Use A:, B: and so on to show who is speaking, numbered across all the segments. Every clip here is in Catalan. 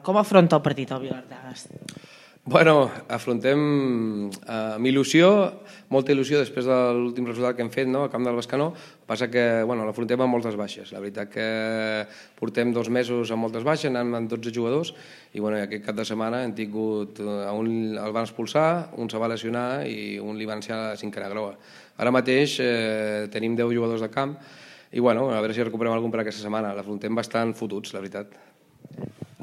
A: Com afronta el partit el Vilardagas?
B: Bueno, afrontem amb il·lusió, molta il·lusió després de l'últim resultat que hem fet al camp del Bescanó. Passa que l'afrontem amb moltes baixes. La veritat que portem 2 mesos amb moltes baixes, anant amb 12 jugadors, i aquest cap de setmana hem tingut, un el van expulsar, un se va lesionar i un li van ensenyar la cinquena groga. Ara mateix tenim 10 jugadors de camp i a veure si recuperem algun per aquesta setmana. L'afrontem bastant fotuts, la veritat.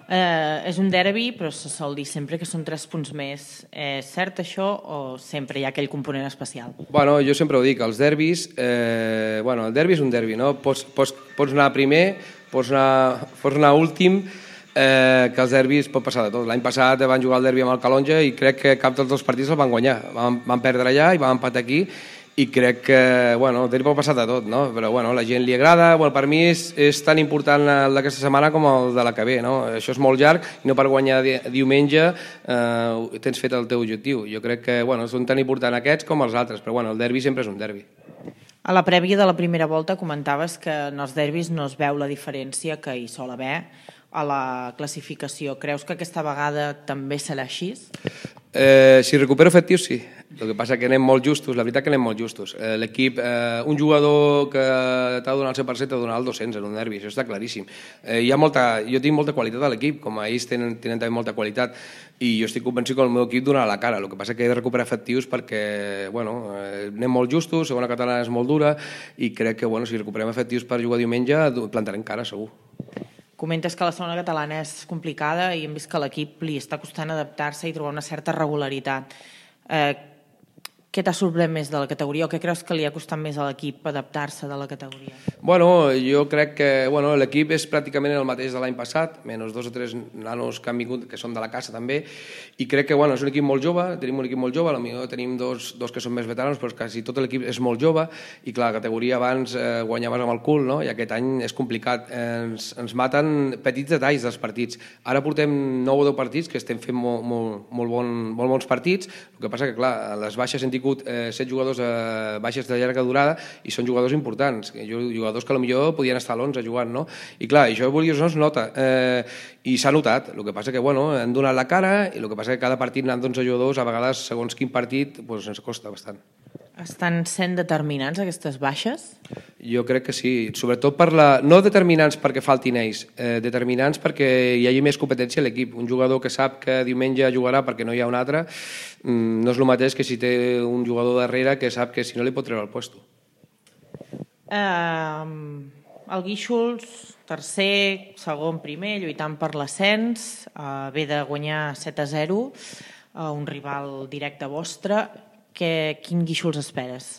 A: És un derbi, però se sol dir sempre que són 3 punts més. És cert això o sempre hi ha aquell component especial?
B: Jo sempre ho dic, els derbis, el derbi és un derbi, no? Pots anar primer, pots anar últim, que els derbis pot passar de tot. L'any passat van jugar el derbi amb el Calonja i crec que cap dels 2 partits els van guanyar. Van perdre allà i van empatar aquí, i crec que el derbi pot passar de tot, no? Però a la gent li agrada. Per mi és tan important el d'aquesta setmana com el de la que ve, no? Això és molt llarg i no per guanyar diumenge tens fet el teu objectiu. Jo crec que són tan importants aquests com els altres, però el derbi sempre és un derbi.
A: A la prèvia de la primera volta comentaves que en els derbis no es veu la diferència que hi sol haver a la classificació. Creus que aquesta vegada també serà així?
B: Si recupero efectius, sí. El que passa que anem molt justos, la veritat que anem molt justos. L'equip, un jugador que t'ha de donar el 100% t'ha de donar el 200 en un derbi, això està claríssim. Jo tinc molta qualitat a l'equip, com ells tenen també molta qualitat, i jo estic convençut que el meu equip donarà la cara. El que passa que he de recuperar efectius perquè anem molt justos, segona catalana és molt dura, i crec que si recuperem efectius per jugar diumenge plantarem cara, segur.
A: Comentes que la segona catalana és complicada i hem vist que a l'equip li està costant adaptar-se i trobar una certa regularitat. Què t'ha sorprès més de la categoria o què creus que li ha costat més a l'equip adaptar-se de la categoria?
B: Jo crec que l'equip és pràcticament el mateix de l'any passat, menys 2 o 3 nanos que han vingut, que són de la casa també, i crec que és un equip molt jove, tenim un equip molt jove, potser tenim dos que són més veteranos, però quasi tot l'equip és molt jove, i clar, la categoria abans guanyaves amb el cul, no? I aquest any és complicat, ens maten petits detalls dels partits. Ara portem 9 o 10 partits que estem fent molt bons partits, el que passa que clar, les baixes hem tingut 7 jugadors baixes de llarga durada i són jugadors importants, jugadors que potser podien estar a l'11 jugant, no? I clar, això no es nota, i s'ha notat. El que passa que han donat la cara, i el que passa que cada partit anant d'11 jugadors, a vegades, segons quin partit, ens costa bastant.
A: Estan sent determinants aquestes baixes?
B: Jo crec que sí, sobretot no determinants perquè faltin ells, determinants perquè hi hagi més competència a l'equip. Un jugador que sap que diumenge jugarà perquè no hi ha un altre, no és el mateix que si té un jugador darrere que sap que si no li pot treure el puesto.
A: El Guíxols, tercer, segon, primer, lluitant per l'ascens, ve de guanyar 7-0, un rival directe vostre. Quin Guíxols esperes?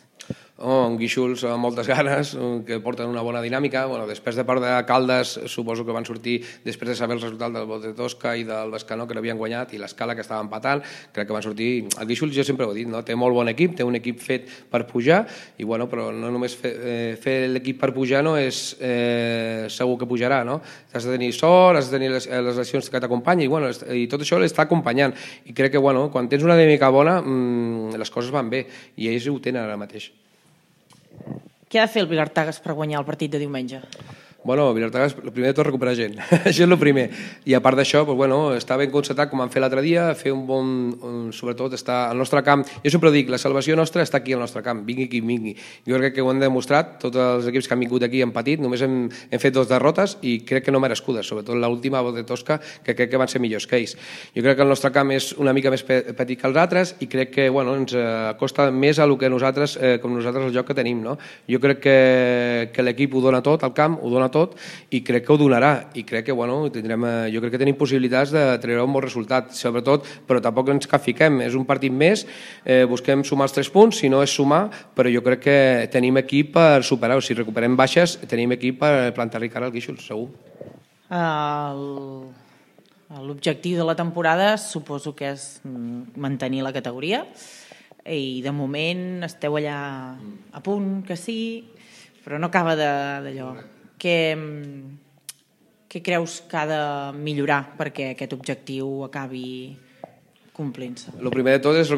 B: Un Guíxols amb moltes ganes, que porten una bona dinàmica. Després de perdre Caldes, suposo que van sortir després de saber el resultat del Bot de Tosca i del Bescanó, que l'havien guanyat, i l'Escala, que estava empatant. Crec que van sortir... El Guíxols, jo sempre ho he dit, té molt bon equip, té un equip fet per pujar, però no només fer l'equip per pujar no és segur que pujarà, no? Has de tenir sort, has de tenir les lesions que t'acompanyen, i tot això l'està acompanyant. I crec que quan tens una dinàmica bona, les coses van bé, i ells ho tenen ara mateix.
A: Què ha de fer el Vilardagas per guanyar el partit de diumenge?
B: Vilardagas, el primer de tot, recuperar gent. Això és el primer. I a part d'això, està ben concertat, com vam fer l'altre dia, fer un bon... Sobretot, estar al nostre camp. Jo sempre dic, la salvació nostra està aquí al nostre camp, vingui qui vingui. Jo crec que ho hem demostrat, tots els equips que han vingut aquí han patit, només hem fet 2 derrotes i crec que no merescudes, sobretot l'última, Bot de Tosca, que crec que van ser millors que ells. Jo crec que el nostre camp és una mica més petit que els altres i crec que ens costa més a lo que nosaltres, com nosaltres el joc que tenim, no? Jo crec que l'equip ho dona tot, el camp ho dona tot, i crec que ho donarà, i crec que jo crec que tenim possibilitats de treure un bon resultat, sobretot, però tampoc ens fiquem, és un partit més, busquem sumar els 3 punts, si no és sumar, però jo crec que tenim equip per superar-ho. Si recuperem baixes, tenim equip per plantar-li cara al Guíxols, segur.
A: L'objectiu de la temporada suposo que és mantenir la categoria, i de moment esteu allà a punt, que sí, però no acaba d'allò. Què creus que ha de millorar perquè aquest objectiu acabi complint-se?
B: El primer de tot és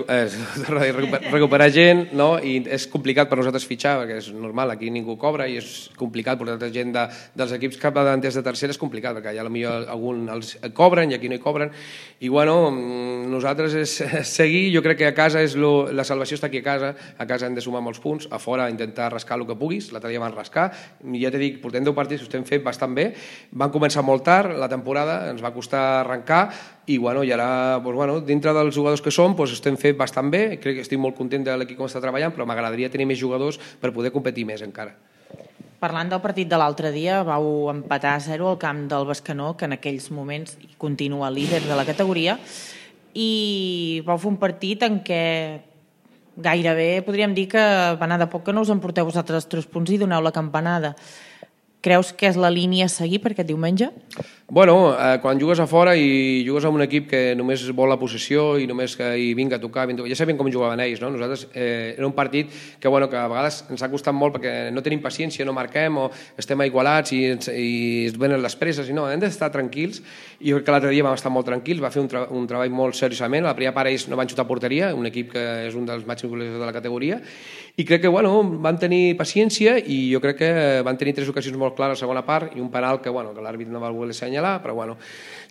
B: recuperar gent, no? I és complicat per nosaltres fitxar, perquè és normal, aquí ningú cobra i és complicat portar gent dels equips capdavanters de tercera, és complicat, perquè ja potser algun els cobren i aquí no hi cobren. I bueno, nosaltres és seguir, jo crec que a casa la salvació està aquí a casa hem de sumar molts punts, a fora intentar rascar el que puguis, l'altre dia van rascar, ja t'he dit, portem 10 partits, ho estem fent bastant bé, van començar molt tard la temporada, ens va costar arrencar, i bueno, i ara, dintre dels jugadors que som, estem fent bastant bé, crec que estic molt content de l'equip com està treballant, però m'agradaria tenir més jugadors per poder competir més encara.
A: Parlant del partit de l'altre dia, vau empatar a 0 al camp del Bescanó, que en aquells moments continua líder de la categoria, i vau fer un partit en què gairebé podríem dir que va anar de poc que no us emporteu vosaltres 3 punts i doneu la campanada. Creus que és la línia a seguir per aquest diumenge?
B: Bueno, quan jugues a fora i jugues amb un equip que només vol la possessió i només que hi vinga a tocar, ja sabem com jugaven ells, no? Nosaltres era un partit que a vegades ens ha costat molt perquè no tenim paciència, no marquem o estem igualats i es venen les presses i no, hem d'estar tranquils i jo crec que l'altre dia vam estar molt tranquils, va fer un treball molt seriosament, la primera part ells no van xutar a porteria, un equip que és un dels màxims goleadors de la categoria i crec que van tenir paciència i jo crec que van tenir 3 ocasions molt clares a la segona part i un penal que l'àrbit no va voler assenyalar, però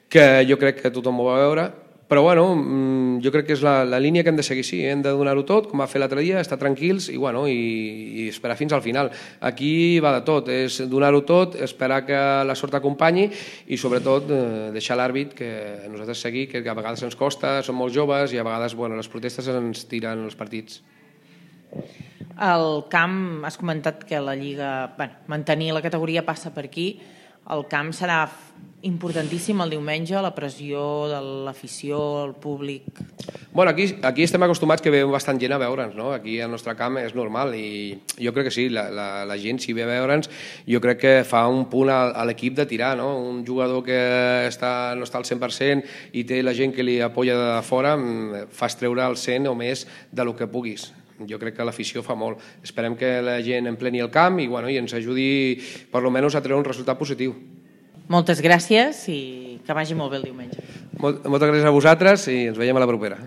B: que jo crec que tothom ho va veure, però jo crec que és la línia que hem de seguir, sí, hem de donar-ho tot, com va fer l'altre dia, estar tranquils i esperar fins al final. Aquí va de tot, és donar-ho tot, esperar que la sort acompanyi i sobretot deixar l'àrbit que nosaltres seguir, que a vegades ens costa, som molt joves i a vegades les protestes ens tiren els partits.
A: El camp, has comentat que la Lliga, mantenir la categoria passa per aquí, el camp serà importantíssim el diumenge, la pressió de l'afició, el públic...
B: Aquí estem acostumats que ve bastant gent a veure'ns, no? Aquí al nostre camp és normal i jo crec que sí, la gent si ve a veure'ns jo crec que fa un punt a l'equip de tirar, no? Un jugador que no està al 100% i té la gent que li apoya de fora, fas treure el 100 o més del que puguis. Jo crec que l'afició fa molt. Esperem que la gent empleni el camp i ens ajudi per almenys a treure un resultat positiu.
A: Moltes gràcies i que vagi molt bé el diumenge.
B: Moltes gràcies a vosaltres i ens veiem a la propera.